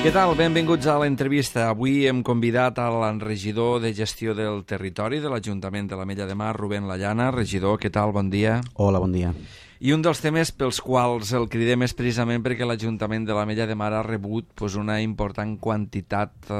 Què tal? Benvinguts a l'entrevista. Avui hem convidat a l'enregidor de gestió del territori de l'Ajuntament de l'Ametlla de Mar, Rubén Lallana. Regidor, què tal? Bon dia. Hola, bon dia. I un dels temes pels quals el cridem és precisament perquè l'Ajuntament de l'Ametlla de Mar ha rebut una important quantitat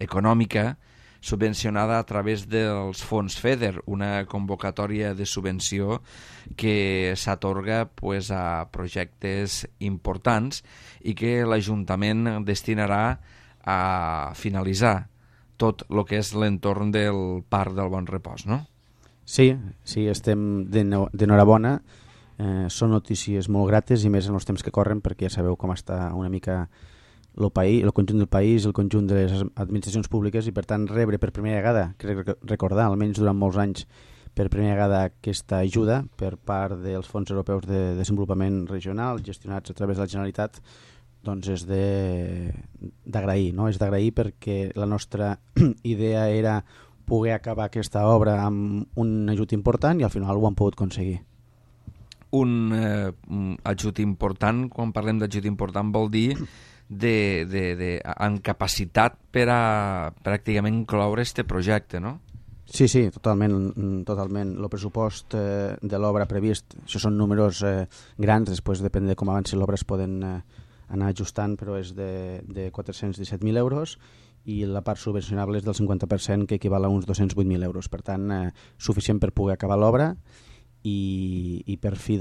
econòmica subvencionada a través dels fons FEDER, una convocatòria de subvenció que s'atorga a projectes importants i que l'Ajuntament destinarà a finalitzar tot el que és l'entorn del Parc del Bon Repòs, no? Sí, estem d'enhorabona. Són notícies molt grates i més en els temps que corren, perquè ja sabeu com està una mica el conjunt del país, el conjunt de les administracions públiques, i per tant rebre per primera vegada, crec recordar, almenys durant molts anys, per primera vegada aquesta ajuda per part dels fons europeus de desenvolupament regional gestionats a través de la Generalitat, doncs és d'agrair, no? És d'agrair perquè la nostra idea era poder acabar aquesta obra amb un ajut important i al final ho han pogut aconseguir. Un ajut important, quan parlem d'ajut important, vol dir amb capacitat per a pràcticament incloure este projecte, no? Sí, totalment. El pressupost de l'obra previst, això són números grans, després depèn de com avanci l'obra es poden anar ajustant, però és de 417.000 euros i la part subvencionable és del 50%, que equival a uns 208.000 euros. Per tant, suficient per poder acabar l'obra i per fi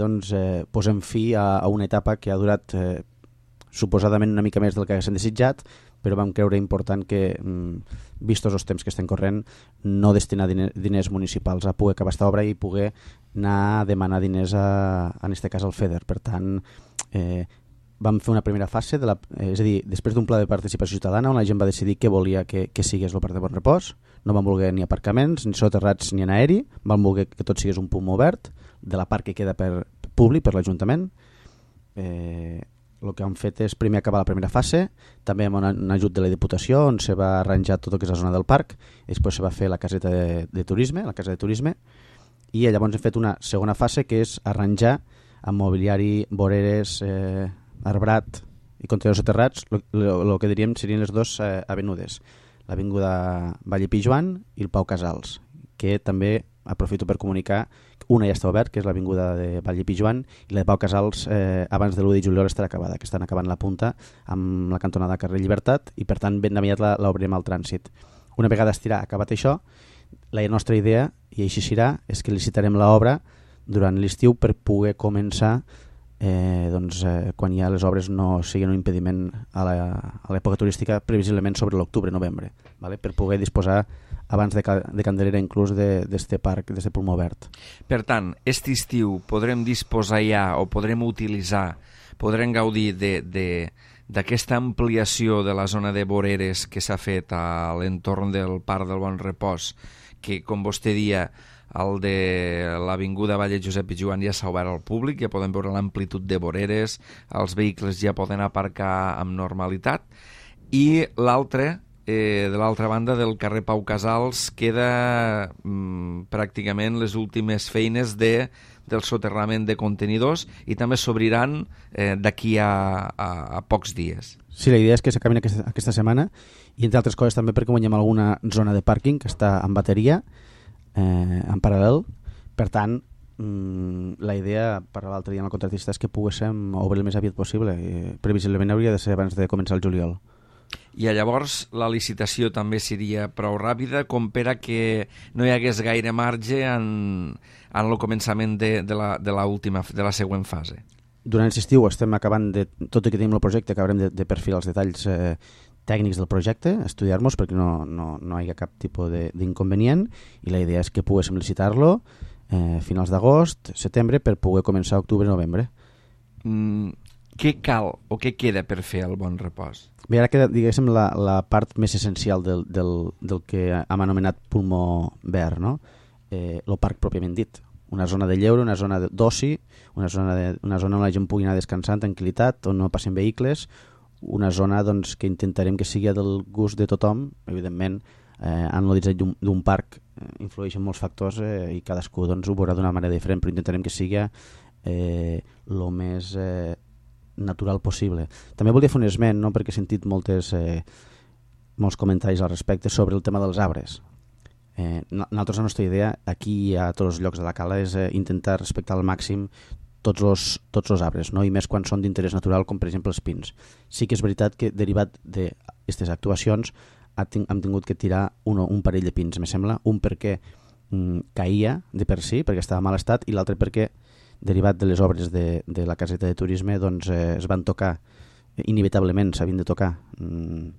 posem fi a una etapa que ha durat suposadament una mica més del que haguéssim desitjat, però vam creure important que, vistos els temps que estem corrent, no destinar diners municipals a poder acabar aquesta obra i poder anar a demanar diners, en aquest cas al FEDER. Per tant, vam fer una primera fase, és a dir, després d'un pla de participació ciutadana on la gent va decidir què volia que sigués el Parc de Bon Repòs. No van voler ni aparcaments, ni soterrats, ni en aeri, van voler que tot sigués un punt obert de la part que queda públic per l'Ajuntament. El que han fet és primer acabar la primera fase, també amb un ajut de la Diputació, on se va arranjar tot el que és la zona del parc, i després se va fer la caseta de turisme, la casa de turisme, i llavors hem fet una segona fase, que és arranjar amb mobiliari, voreres, arbrat i contenidors soterrats, el que diríem serien les dues avenudes, l'avinguda Vall i Pijoan i el Pau Casals, que també aprofito per comunicar, una ja està obert, que és l'avinguda de Vall i Pijoan, i la de Pau Casals abans de l'1 de juliol estarà acabada, que estan acabant la punta amb la cantonada carrer Llibertat, i per tant ben aviat l'obrirem al trànsit. Una vegada acabat això, la nostra idea, i així serà, és que licitarem l'obra durant l'estiu per poder començar quan ja les obres no siguin un impediment a l'època turística, previsiblement sobre l'octubre-novembre, per poder disposar abans de Candelera inclús d'este parc, d'este pulmó verd. Per tant, aquest estiu podrem disposar ja o podrem utilitzar, podrem gaudir d'aquesta ampliació de la zona de voreres que s'ha fet a l'entorn del Parc del Bon Repòs, que, com vostè dia, el de l'avinguda Vall Josep i Joan ja s'ha obert al públic, ja podem veure l'amplitud de voreres, els vehicles ja poden aparcar amb normalitat, i l'altre, de l'altra banda del carrer Pau Casals, queda pràcticament les últimes feines del soterrament de contenidors i també s'obriran d'aquí a pocs dies. Sí, la idea és que s'acabin aquesta setmana i, entre altres coses, també perquè guanyem alguna zona de pàrquing que està en bateria, en paral·lel. Per tant, la idea, per l'altre dia amb el contractista, és que poguéssim obrir el més aviat possible. Previsiblement hauria de ser abans de començar el juliol. I llavors la licitació també seria prou ràpida com per a que no hi hagués gaire marge en el començament de la següent fase. Durant l'estiu estem acabant tot i que tenim el projecte, acabarem de perfilar els detalls tècnics del projecte, estudiar-nos perquè no hi ha cap tipus d'inconvenient, i la idea és que poguéssim licitar-lo finals d'agost, setembre, per poder començar octubre-novembre. Què cal o què queda per fer el Bon Repòs? Bé, ara queda, diguéssim, la part més essencial del que hem anomenat pulmó verd, no? El parc pròpiament dit. Una zona de lleure, una zona d'oci, una zona on la gent pugui anar descansant, tranquil·litat, on no passen vehicles, una zona que intentarem que sigui del gust de tothom. Evidentment, en el disseny d'un parc influeixen molts factors i cadascú ho veurà d'una manera diferent, però intentarem que sigui el més natural possible. També volia fer un esment, no? Perquè he sentit molts comentaris al respecte sobre el tema dels arbres. Nosaltres, la nostra idea aquí a tots els llocs de la cala és intentar respectar al màxim tots els arbres, no? I més quan són d'interès natural, com per exemple els pins. Sí que és veritat que derivat d'aquestes actuacions hem tingut que tirar un parell de pins, me sembla, un perquè caïa de per si, perquè estava en mal estat, i l'altre perquè derivat de les obres de la caseta de turisme doncs, es van tocar inevitablement, s'havien de tocar,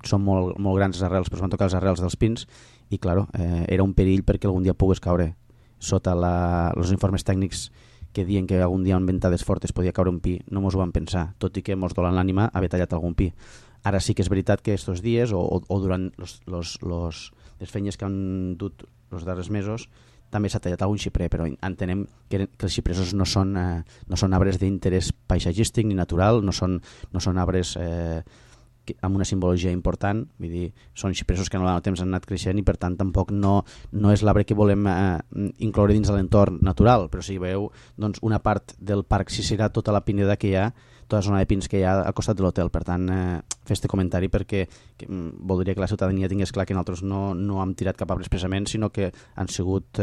són molt grans les arrels, però es van tocar les arrels dels pins i claro, era un perill perquè algun dia pogués caure sota els informes tècnics que diuen que algun dia amb ventades fortes podia caure un pi, no mos ho vam pensar, tot i que mos dolen l'ànima haver tallat algun pi. Ara sí que és veritat que estos dies o durant les feines que han dut els darrers mesos també s'ha tallat algun xiprer, però entenem que els xipresos no són arbres d'interès paisatgístic ni natural, no són arbres amb una simbologia important, vull dir, són xipresos que en el temps han anat creixent i per tant tampoc no és l'arbre que volem incloure dins de l'entorn natural, però si veieu doncs, una part del parc sí serà tota la pineda que hi ha, tota la zona de pins que hi ha al costat de l'hotel. Per tant, fer este comentari perquè voldria que la ciutadania tingués clar que nosaltres no hem tirat cap arbre expressament, sinó que han sigut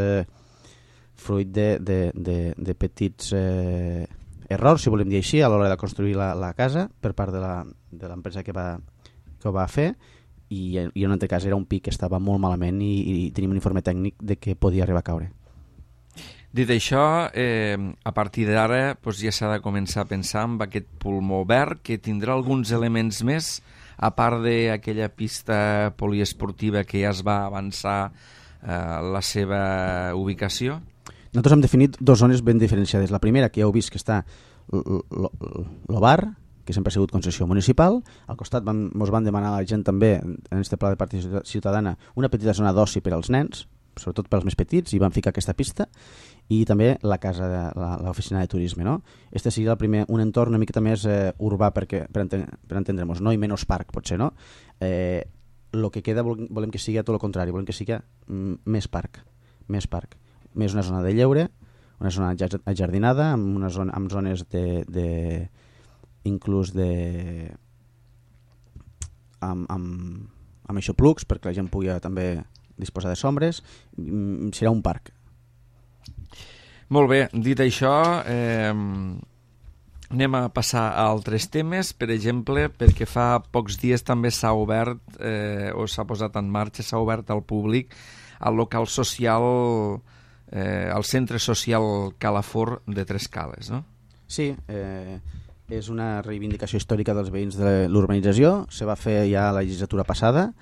fruit de petits errors, si volem dir així, a l'hora de construir la casa per part de l'empresa que ho va fer, i en un altre cas era un pi que estava molt malament i tenim un informe tècnic de que podia arribar a caure. Dit això, a partir d'ara ja s'ha de començar a pensar en aquest pulmó verd que tindrà alguns elements més, a part d'aquella pista poliesportiva que ja es va avançar la seva ubicació. Nosaltres hem definit dues zones ben diferenciades. La primera, que ja heu vist que està el bar, que sempre ha sigut concessió municipal. Al costat ens van demanar a la gent també, en este pla de participació ciutadana, una petita zona d'oci per als nens, sobretot per als més petits, i van ficar aquesta pista, i també la casa de l'oficina de turisme, no? Este seria el primer, un entorn una miqueta més urbà per entendre'ns, no? I menys parc, potser, no? El que queda volem que sigui tot el contrari, volem que sigui més parc, més una zona de lleure, una zona ajardinada, amb zones inclús amb aixoplucs perquè la gent pugui també disposar de sombres. Serà un parc. Molt bé, dit això, anem a passar a altres temes. Per exemple, perquè fa pocs dies també s'ha obert o s'ha posat en marxa, s'ha obert al públic el local social, el centre social Calafort de Tres Cales, no? Sí, és una reivindicació històrica dels veïns de l'urbanització. Se va fer ja la legislatura passada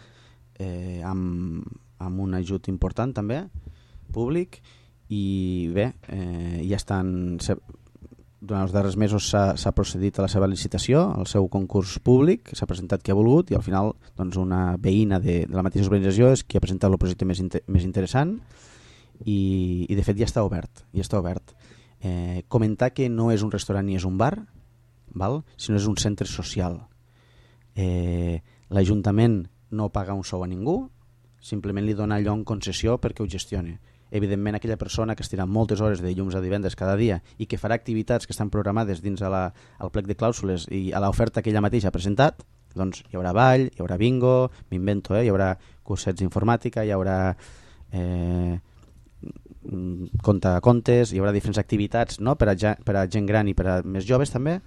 amb un ajut important també, públic, i bé, ja estan... Durant els darrers mesos s'ha procedit a la seva licitació, al seu concurs públic, s'ha presentat qui ha volgut i al final doncs, una veïna de la mateixa urbanització és qui ha presentat el projecte més interessant i de fet ja està obert. Comentar que no és un restaurant ni és un bar, sinó és un centre social. L'Ajuntament no paga un sou a ningú, simplement li dona allò en concessió perquè ho gestioni. Evidentment, aquella persona que estirà moltes hores de dilluns a divendres cada dia i que farà activitats que estan programades dins al plec de clàusules i a l'oferta que ella mateixa ha presentat, doncs hi haurà ball, hi haurà bingo, m'invento, hi haurà cursets d'informàtica, hi haurà contes, hi haurà diferents activitats, no? per a gent gran i per a més joves també.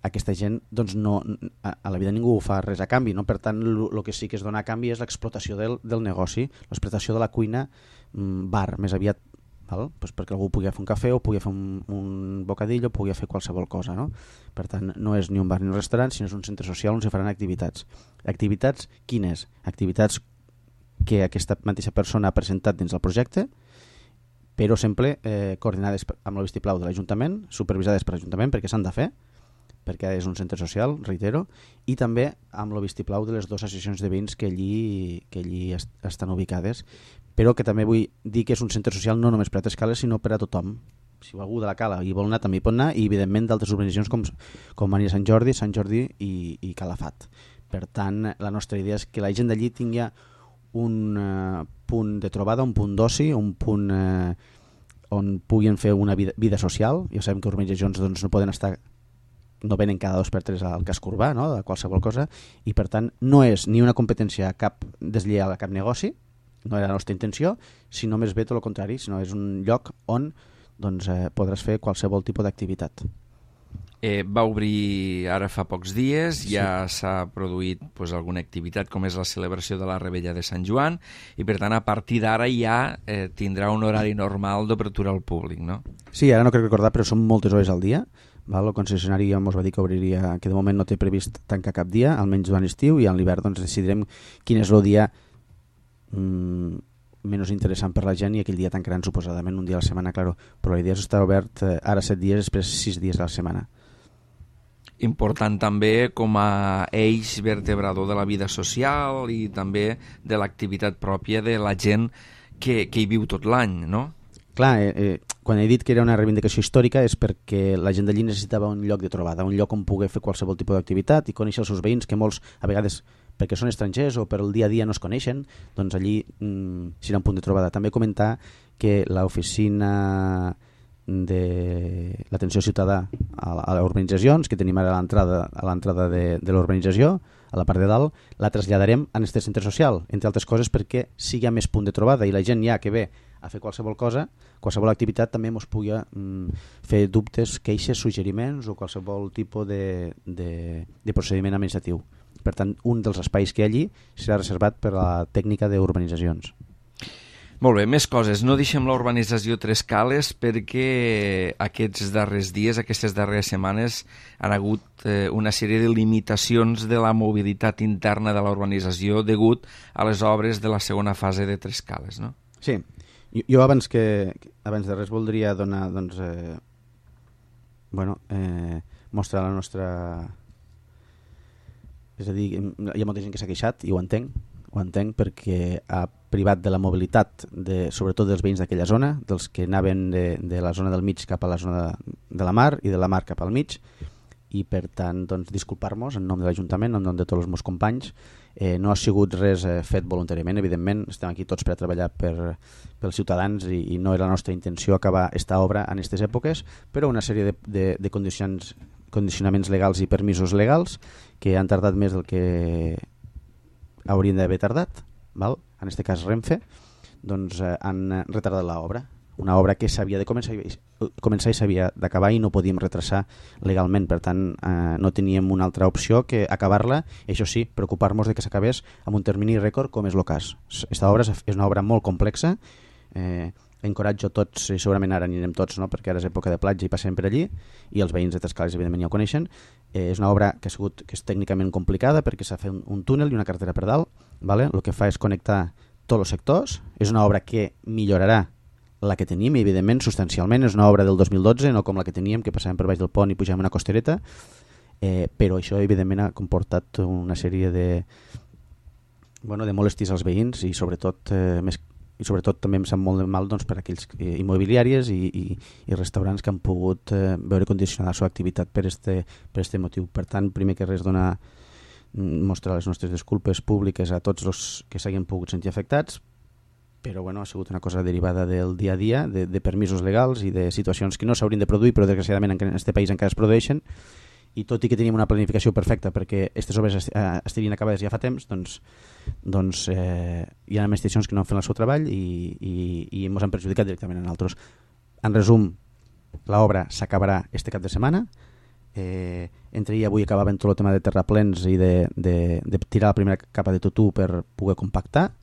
Aquesta gent doncs a la vida ningú fa res a canvi, no? Per tant el que sí que es dona a canvi és l'explotació del negoci, l'explotació de la cuina bar, més aviat, pues perquè algú pugui fer un cafè o pugui fer un bocadillo o pugui fer qualsevol cosa, no? Per tant no és ni un bar ni un restaurant, sinó és un centre social on se faran activitats. Activitats quines? Activitats que aquesta mateixa persona ha presentat dins del projecte, però sempre coordinades amb el vistiplau de l'Ajuntament, supervisades per l'Ajuntament perquè s'han de fer, perquè és un centre social, reitero, i també amb el vistiplau de les dues associacions de veïns que allí estan ubicades, però que també vull dir que és un centre social no només per a Tres Cales, sinó per a tothom. Si algú de la Cala hi vol anar, també hi pot anar, i evidentment d'altres urbanitzacions com Maria Sant Jordi i Calafat. Per tant, la nostra idea és que la gent d'allí tingui un punt de trobada, un punt d'oci, un punt on puguin fer una vida social. Ja sabem que urbanitzacions doncs, no poden estar no venen cada 2 per 3 al casc urbà, no? De qualsevol cosa, i per tant no és ni una competència cap deslleial a cap negoci, no era la nostra intenció, sinó més bé tot el contrari, sinó és un lloc on doncs, podràs fer qualsevol tipus d'activitat. Va obrir ara fa pocs dies, ja s'ha produït alguna activitat com és la celebració de la Revetlla de Sant Joan i per tant a partir d'ara ja tindrà un horari normal d'obertura al públic, no? Sí, ara no crec recordar, però són moltes hores al dia. El concessionari ja ens va dir que obriria, que de moment no té previst tancar cap dia, almenys durant l'estiu, i a l'hivern doncs, decidirem quin és el dia menys interessant per la gent i aquell dia tancaran suposadament un dia a la setmana, claro. Però la idea és estar obert ara 7 dies, després 6 dies a la setmana. Important també com a eix vertebrador de la vida social i també de l'activitat pròpia de la gent que hi viu tot l'any, no? Clar, quan he dit que era una reivindicació històrica és perquè la gent d'allí necessitava un lloc de trobada, un lloc on poder fer qualsevol tipus d'activitat i conèixer els seus veïns, que molts, a vegades, perquè són estrangers o per el dia a dia no es coneixen, doncs allí serà un punt de trobada. També comentar que l'oficina de l'atenció ciutadà a les urbanitzacions, que tenim ara a l'entrada de l'urbanització, a la part de dalt, la traslladarem a este centre social, entre altres coses perquè sigui més punt de trobada i la gent ja que ve a fer qualsevol cosa, qualsevol activitat també ens pugui fer dubtes, queixes, suggeriments o qualsevol tipus de procediment administratiu. Per tant, un dels espais que hi ha allí serà reservat per a la tècnica d'urbanitzacions. Molt bé, més coses. No deixem la urbanització Tres Cales perquè aquests darrers dies, aquestes darreres setmanes han hagut una sèrie de limitacions de la mobilitat interna de la urbanització degut a les obres de la segona fase de Tres Cales, no? Sí. Jo abans de res voldria donar, doncs, mostrar la nostra... És a dir, hi ha molta gent que s'ha queixat i ho entenc perquè ha privat de la mobilitat, sobretot dels veïns d'aquella zona, dels que anaven de la zona del mig cap a la zona de la mar i de la mar cap al mig, i per tant doncs, disculpar-nos en nom de l'Ajuntament, en nom de tots els meus companys. No ha sigut res fet voluntàriament, evidentment, estem aquí tots per a treballar pels ciutadans i no era la nostra intenció acabar esta obra en aquestes èpoques, però una sèrie de condicionaments legals i permisos legals que han tardat més del que haurien d'haver tardat, val? En aquest cas Renfe, doncs han retardat l'obra. Una obra que s'havia de començar i s'havia d'acabar i no podíem retrasar legalment, per tant no teníem una altra opció que acabar-la, i això sí, preocupar-nos de que s'acabés amb un termini rècord com és el cas. Esta obra és una obra molt complexa, encoratjo tots, i segurament ara anirem tots, no? Perquè ara és època de platja i passem per allí, i els veïns de Tres Cales evidentment ja ho coneixen. És una obra que és tècnicament complicada perquè s'ha fet un túnel i una carretera per dalt, vale? El que fa és connectar tots els sectors. És una obra que millorarà la que tenim, evidentment, substancialment. És una obra del 2012, no com la que teníem, que passàvem per baix del pont i pujàvem una costereta, però això evidentment ha comportat una sèrie de molèsties als veïns i sobretot també em sap molt de mal doncs, per aquells immobiliàries i restaurants que han pogut veure condicionar la seva activitat per este motiu. Per tant, primer que res, mostrar les nostres disculpes públiques a tots els que s'hagin pogut sentir afectats, però ha sigut una cosa derivada del dia a dia, de permisos legals i de situacions que no s'haurien de produir, però desgraciadament en aquest país encara es produeixen, i tot i que teníem una planificació perfecta perquè aquestes obres estarien acabades ja fa temps, doncs hi ha administracions que no han fet el seu treball i ens han perjudicat directament en altres. En resum, l'obra s'acabarà este cap de setmana. Entre ahir i avui acabàvem tot el tema de terraplens i de tirar la primera capa de tutú per poder compactar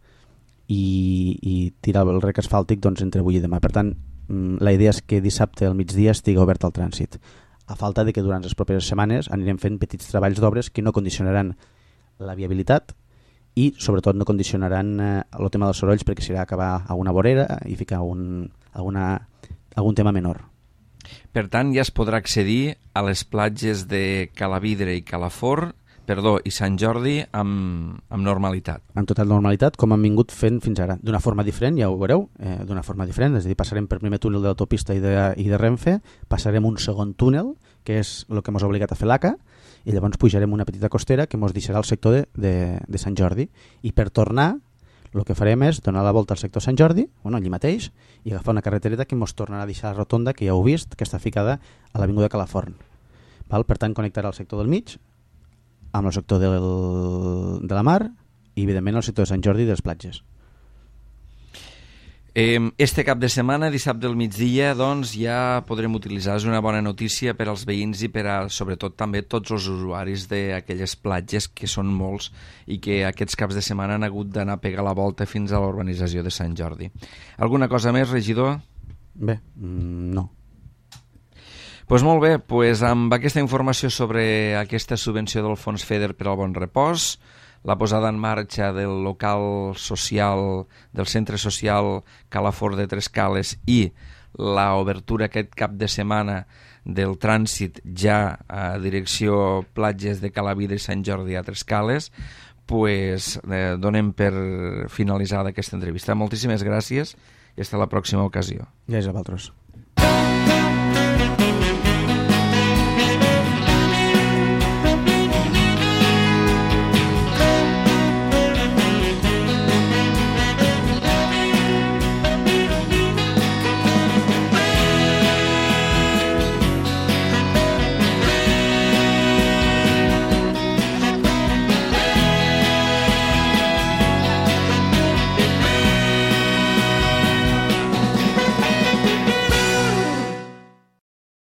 i tirar el rec asfàltic entre avui i demà. Per tant, la idea és que dissabte al migdia estigui obert al trànsit, a falta de que durant les properes setmanes anirem fent petits treballs d'obres que no condicionaran la viabilitat i sobretot no condicionaran el tema dels sorolls, perquè serà acabar a una vorera i ficar algun tema menor. Per tant, ja es podrà accedir a les platges de Calavidre i Sant Jordi amb normalitat. Amb total normalitat, com han vingut fent fins ara. D'una forma diferent, ja ho veureu, d'una forma diferent, és a dir, passarem per primer túnel de l'autopista i de Renfe, passarem un segon túnel, que és el que ens ha obligat a fer l'ACA, i llavors pujarem una petita costera que ens deixarà el sector de Sant Jordi. I per tornar, el que farem és donar la volta al sector Sant Jordi, allí mateix, i agafar una carretereta que ens tornarà a deixar la rotonda, que ja heu vist, que està ficada a l'Avinguda Calaforn. Val? Per tant, connectarà el sector del mig amb el sector de la mar i, evidentment, el sector de Sant Jordi i de les platges. Este cap de setmana, dissabte al migdia, doncs ja podrem utilitzar. És una bona notícia per als veïns i per a, sobretot, també tots els usuaris d'aquelles platges, que són molts, i que aquests caps de setmana han hagut d'anar a pegar la volta fins a la urbanització de Sant Jordi. Alguna cosa més, regidor? Bé, no. Pues molt bé, pues amb aquesta informació sobre aquesta subvenció del Fons FEDER per al Bon Repòs, la posada en marxa del local social, del centre social Calafort de Trescales i l'obertura aquest cap de setmana del trànsit ja a direcció platges de Calavida i Sant Jordi a Trescales, pues donem per finalitzada aquesta entrevista. Moltíssimes gràcies i fins a la pròxima ocasió. Gràcies a vosaltres.